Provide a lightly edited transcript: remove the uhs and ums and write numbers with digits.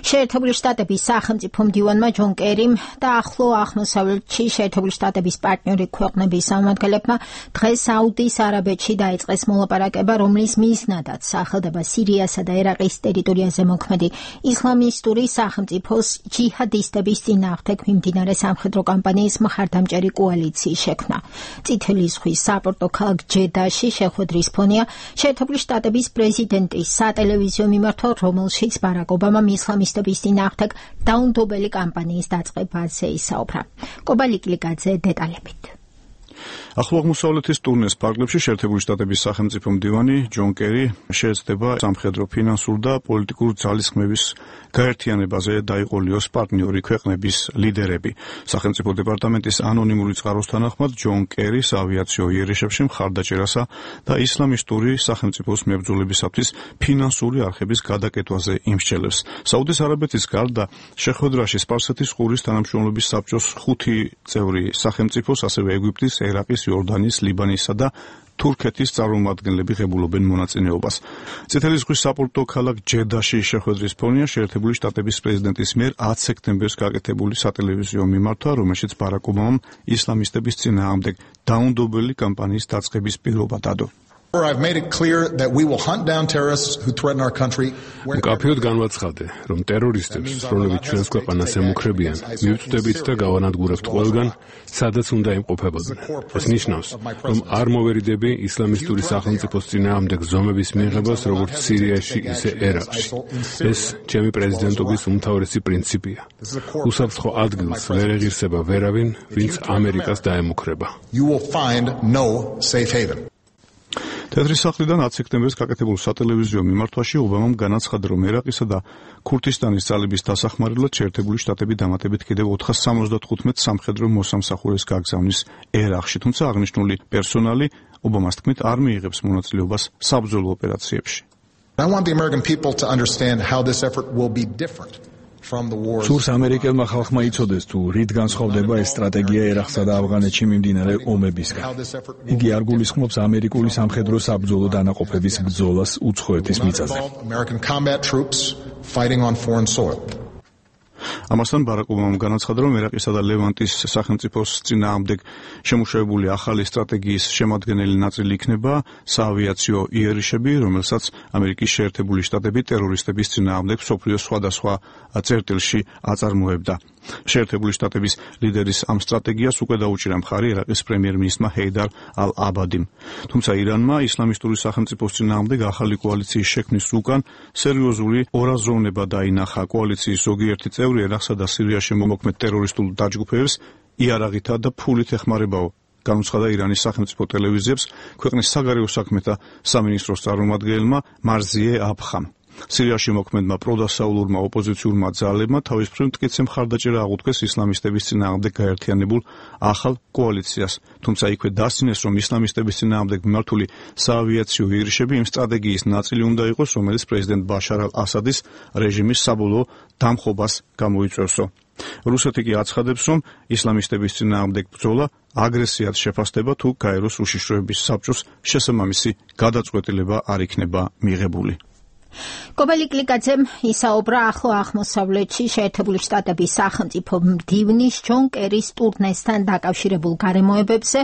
შეერთებული შტატების სახელმწიფო მდივანმა ჯონ კერიმ და ახლო აღმოსავლეთში შეერთებული შტატების პარტნიორი ქვეყნების წარმომადგენლებმა დღეს საუდის არაბეთში დაიწყეს მოლაპარაკება, რომლის მიზნადაც სახელდება სირიასა და ერაყის ტერიტორიაზე მოქმედი ისლამისტური სახელმწიფოს ჯიჰადისტების წინააღმდეგ მიმდინარე სამხედრო კამპანიის მხარდამჭერი კოალიციის შექმნა. წითელი ზღვის საპორტო ქალაქ ჯედაში შეხვედრის ფონია შეერთებული შტატების პრეზიდენტის სატელევიზიო მიმართვა, რომელშიც ბარაკ ობამამ ისლამისტების წინააღმდეგ დაუნდობელი კამპანიის დაწყებაზე ისაუბრა. კობა ლიკლიკაძე დეტალებით. ახლო აღმოსავლეთის ტურნეს ფარგლებში შეერთებული შტატების სახელმწიფო მდივანი ჯონ კერი შეეცდება სამხედრო, ფინანსურ და პოლიტიკურ ძალისხმევის გაერთიანებაზე დაიყოლიოს პარტნიორი ქვეყნების ლიდერები. სახელმწიფო დეპარტამენტის ანონიმური წყაროს თანახმად ჯონ კერი საავიაციო იერიშებში მხარდაჭერასა და ისლამისტური სახელმწიფოს მებრძოლებისათვის ფინანსური არხების გადაკეთვაზე იმსჯელებს. საუდის არაბეთის გარდა შეხვედრაში სპარსეთის ყურის თანამშრომლობის საბჭოს 5 წევრი სახელმწიფოს, ასევე ეგვიპტის, ერაყის, იორდანიის, ლიბანისა და თურქეთის წარმომადგენლები ღებულობენ მონაწილეობას. წითელი ზღვის საპორტო ქალაქ ჯედაში შეხვედრის ფონია შეერთებული შტატების პრეზიდენტის მიერ 10 სექტემბერს გაკეთებული სატელევიზიო მიმართვა, რომელშიც ბარაკ ობამამ ისლამისტების წინააღმდეგ დაუნდობელი კამპანიის დაწყების პირობა დადო. მკაფიოდ განვაცხადე, რომ ტერორისტებს, რომლებიც ჩვენს ქვეყანას ემუქრებიან, მივწვდებით და გავანადგურებთ ყველგან, სადაც უნდა იმყოფებოდნენ. ეს ნიშნავს, რომ არ მოვერიდები ისლამისტური სახელმწიფოს წინააღმდეგ ზომების მიღებას, როგორც სირიაში, ისე ერაყში. ეს ჩემი პრეზიდენტობის უმთავრესი პრინციპია. უსაფრთხო ადგილს ვერ ეღირსება ვერავინ, ვინც ამერიკას დაემუქრება. თეთრი სახლიდან 10 სექტემბერს გაკეთებულ სატელევიზიო მიმართვაში ობამამ განაცხადა, რომ ერაყისა და ქურთისტანის ძალების დასახმარებლად შეერთებული შტატები დამატებით კიდევ 475 სამხედრო მოსამსახურეს გაგზავნის ერაყში, თუმცა აღნიშნული პერსონალი ობამას თქმით არ მიიღებს მონაწილეობას საბრძოლო ოპერაციებში. სურს ამერიკელმა ხალხმა იცოდეს, თუ რით განსხვავდება ეს სტრატეგია ერაყსა და ავღანეთში მიმდინარე ომებისგან. იგი არ გულისხმობს ამერიკული სამხედრო საბრძოლო დანაყოფების ბრძოლას უცხოეთის მიწაზე. ამასთან ბარაკ ობამამ განაცხადა, რომ ერაყისა და ლევანტის სახელმწიფოს წინააღმდეგ შემუშავებული ახალი სტრატეგიის შემადგენელი ნაწილი იქნება საავიაციო იერიშები, რომელსაც ამერიკის შეერთებული შტატები ტერორისტების წინააღმდეგ მსოფლიოს სხვადასხვა წერტილში აწარმოებდა. შეერთებული შტატების ლიდერის ამ სტრატეგიას უკვე დაუჭირა მხარი ერაყის პრემიერ-მინისტრმა ჰეიდარ ალ-აბადიმ. თუმცა ირანმა ისლამისტური სახელმწიფოს წინააღმდეგ ახალი კოალიციის შექმნის უკან სერიოზული ორაზროვნება დაინახა. კოალიციის ზოგიერთი წევრი ერაყსა და სირიაში მომოქმედ ტერორისტულ დაჯგუფებებს იარაღითა და ფულით ეხმარებაო. განუცხადა ირანის სახელმწიფო ტელევიზიებს ქვეყნის საგარეო საქმეთა სამინისტროს წარმომადგენელმა მარზიე აფხამ. სირიაში მოქმედმა პროდასაულურმა ოპოზიციურმა ძალებმა თავის მხრივ მტკიცე მხარდაჭერა აღუთქვეს ისლამისტების წინააღმდეგ გაერთიანებულ ახალ კოალიციას, თუმცა იქვე დასცინეს, რომ ისლამისტების წინააღმდეგ მიმართული საავიაციო იერიშები იმ სტრატეგიის ნაწილი უნდა იყოს, რომელიც პრეზიდენტ ბაშარ ალ-ასადის რეჟიმის საბოლოო დამხობას გამოიწვევსო. რუსეთი კი აცხადებს, რომ ისლამისტების წინააღმდეგ ბრძოლა აგრესიად შეფასდება, თუ გაეროს უშიშროების საბჭოს შესაბამისი გადაწყვეტილება არ იქნება მიღებული. კობა ლიკლიკაძემ ისაუბრა ახლო აღმოსავლეთში შეერთებული შტატების სახელმწიფო მდივნის ჯონ კერის ტურნესთან დაკავშირებულ გარემოებებზე,